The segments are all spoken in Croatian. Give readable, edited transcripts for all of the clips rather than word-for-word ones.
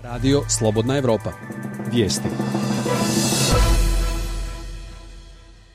Radio Slobodna Evropa. Vijesti.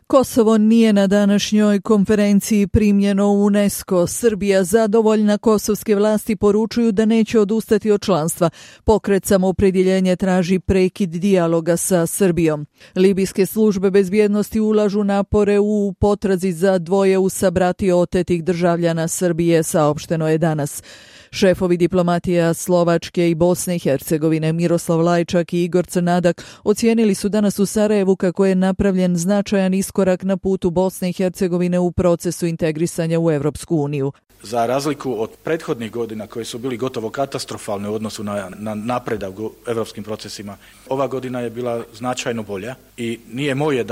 Kosovo nije na današnjoj konferenciji primljeno u UNESCO. Srbija zadovoljna, kosovske vlasti poručuju da neće odustati od članstva. Pokret Samoopredjeljenje traži prekid dijaloga sa Srbijom. Libijske službe bezbjednosti ulažu napore u potrazi za dvoje u sabrati otetih državljana Srbije, saopšteno je danas. Šefovi diplomatija Slovačke i Bosne i Hercegovine Miroslav Lajčak i Igor Crnadak ocijenili su danas u Sarajevu kako je napravljen značajan iskorak na putu Bosne i Hercegovine u procesu integrisanja u Europsku uniju. Za razliku od prethodnih godina koje su bili gotovo katastrofalne u odnosu na napredak u europskim procesima, ova godina je bila značajno bolja i nije moje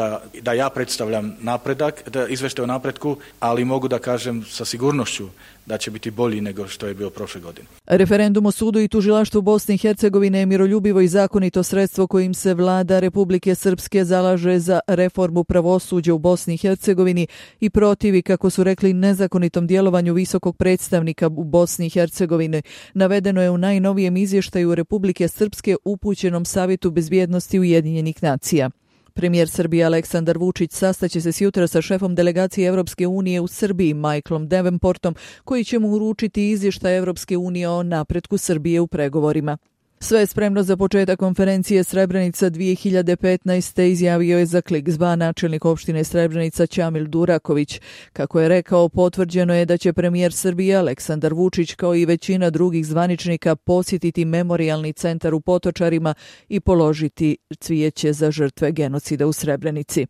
da ja predstavljam napredak, da izveštaj o napretku, ali mogu da kažem sa sigurnošću da će biti bolji nego što je bio prošle godine. Referendum o sudu i tužilaštvu Bosne i Hercegovine je miroljubivo i zakonito sredstvo kojim se vlada Republike Srpske zalaže za reformu pravosuđa u Bosni i Hercegovini i protivi, kako su rekli, nezakonitom djelovanju visokog predstavnika u Bosni i Hercegovini. Navedeno je u najnovijem izvještaju Republike Srpske upućenom Savjetu bezbjednosti Ujedinjenih nacija. Premijer Srbije Aleksandar Vučić sastaće se sjutra sa šefom delegacije Evropske unije u Srbiji Michaelom Davenportom, koji će mu uručiti izvještaj Evropske unije o napretku Srbije u pregovorima. Sve je spremno za početak konferencije Srebrenica 2015. izjavio je za Klik ZBA načelnik opštine Srebrenica Ćamil Duraković. Kako je rekao, potvrđeno je da će premijer Srbije Aleksandar Vučić kao i većina drugih zvaničnika posjetiti memorijalni centar u Potočarima i položiti cvijeće za žrtve genocida u Srebrenici.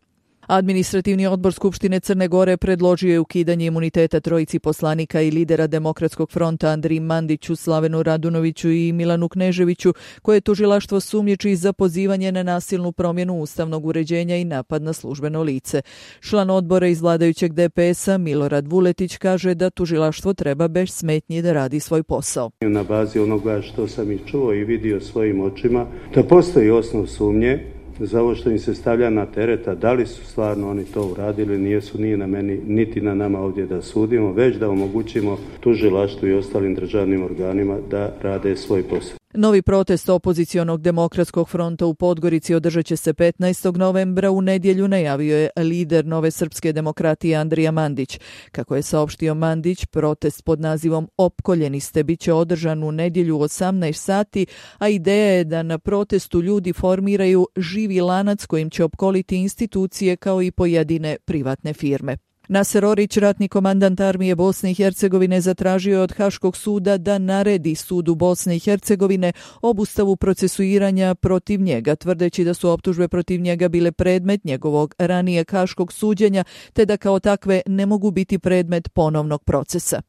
Administrativni odbor Skupštine Crne Gore predložio je ukidanje imuniteta trojici poslanika i lidera Demokratskog fronta Andriji Mandiću, Slavenu Radunoviću i Milanu Kneževiću, koje tužilaštvo sumnjiči za pozivanje na nasilnu promjenu ustavnog uređenja i napad na službeno lice. Član odbora iz vladajućeg DPS-a Milorad Vuletić kaže da tužilaštvo treba bez smetnji da radi svoj posao. Na bazi onoga što sam i čuo i vidio svojim očima, da postoji osnov sumnje za ovo što im se stavlja na tereta, da li su stvarno oni to uradili, nije na meni niti na nama ovdje da sudimo, već da omogućimo tužilaštvu i ostalim državnim organima da rade svoj posao. Novi protest opozicionog Demokratskog fronta u Podgorici održat će se 15. novembra u nedjelju, najavio je lider Nove srpske demokratije Andrija Mandić. Kako je saopštio Mandić, protest pod nazivom Opkoljeni ste bit će održan u nedjelju 18 sati, a ideja je da na protestu ljudi formiraju živi lanac kojim će opkoliti institucije kao i pojedine privatne firme. Naser Orić, ratni komandant armije Bosne i Hercegovine, zatražio je od Haškog suda da naredi sudu Bosne i Hercegovine obustavu procesuiranja protiv njega, tvrdeći da su optužbe protiv njega bile predmet njegovog ranijeg haškog suđenja, te da kao takve ne mogu biti predmet ponovnog procesa.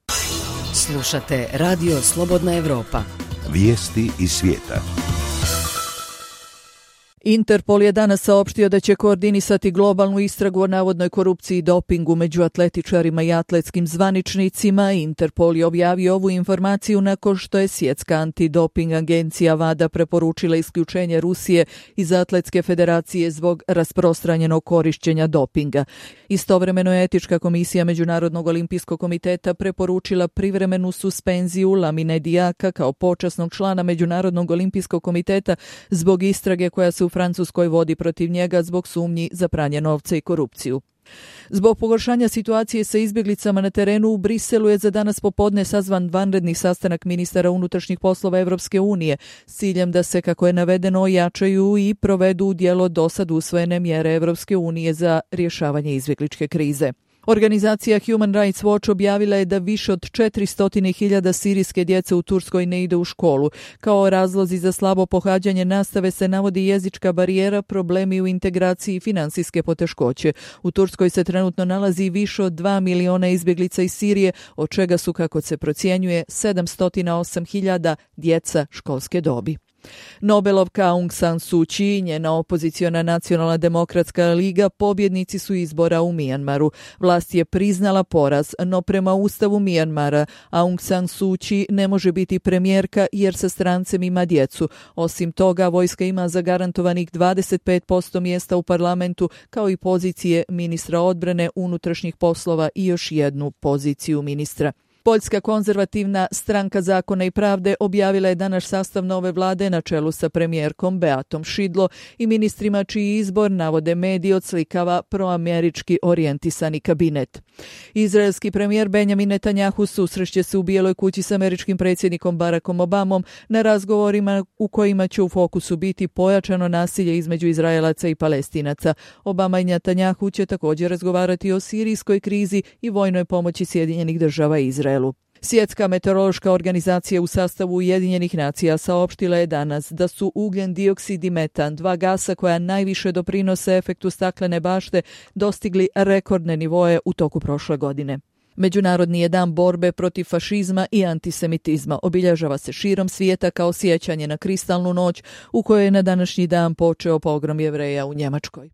Slušate Radio Slobodna Evropa. Vijesti iz svijeta. Interpol je danas saopštio da će koordinisati globalnu istragu o navodnoj korupciji i dopingu među atletičarima i atletskim zvaničnicima. Interpol je objavio ovu informaciju nakon što je Svjetska antidoping agencija WADA preporučila isključenje Rusije iz Atletske federacije zbog rasprostranjenog korišćenja dopinga. Istovremeno je Etička komisija Međunarodnog olimpijskog komiteta preporučila privremenu suspenziju Lamine Diaka kao počasnog člana Međunarodnog olimpijskog komiteta zbog istrage koja se u Francuskoj vodi protiv njega zbog sumnji za pranje novca i korupciju. Zbog pogoršanja situacije sa izbjeglicama na terenu u Briselu je za danas popodne sazvan vanredni sastanak ministara unutrašnjih poslova Evropske unije s ciljem da se, kako je navedeno, ojačaju i provedu u djelo dosad usvojene mjere Evropske unije za rješavanje izbjegličke krize. Organizacija Human Rights Watch objavila je da više od 400.000 sirijske djece u Turskoj ne ide u školu. Kao razlozi za slabo pohađanje nastave se navodi jezička barijera, problemi u integraciji i financijske poteškoće. U Turskoj se trenutno nalazi više od 2 miliona izbjeglica iz Sirije, od čega su, kako se procjenjuje, 708.000 djeca školske dobi. Nobelovka Aung San Suu Kyi i njena opoziciona Nacionalna demokratska liga pobjednici su izbora u Mijanmaru. Vlast je priznala poraz, no prema ustavu Mijanmara Aung San Suu Kyi ne može biti premijerka jer sa strancem ima djecu. Osim toga, vojska ima zagarantovanih 25% mjesta u parlamentu, kao i pozicije ministra odbrane, unutrašnjih poslova i još jednu poziciju ministra. Poljska konzervativna stranka Zakona i pravde objavila je danas sastav nove vlade na čelu sa premijerkom Beatom Šidlo i ministrima čiji izbor, navode mediji, odslikava proamerički orijentisani kabinet. Izraelski premijer Benjamin Netanjahu susreće se u Bijeloj kući s američkim predsjednikom Barackom Obamom na razgovorima u kojima će u fokusu biti pojačano nasilje između Izraelaca i Palestinaca. Obama i Netanjahu će također razgovarati o sirijskoj krizi i vojnoj pomoći Sjedinjenih država Izraelu. Svjetska meteorološka organizacija u sastavu Ujedinjenih nacija saopštila je danas da su ugljen dioksid i metan, dva gasa koja najviše doprinose efektu staklene bašte, dostigli rekordne nivoe u toku prošle godine. Međunarodni je dan borbe protiv fašizma i antisemitizma. Obilježava se širom svijeta kao sjećanje na kristalnu noć u kojoj je na današnji dan počeo pogrom Jevreja u Njemačkoj.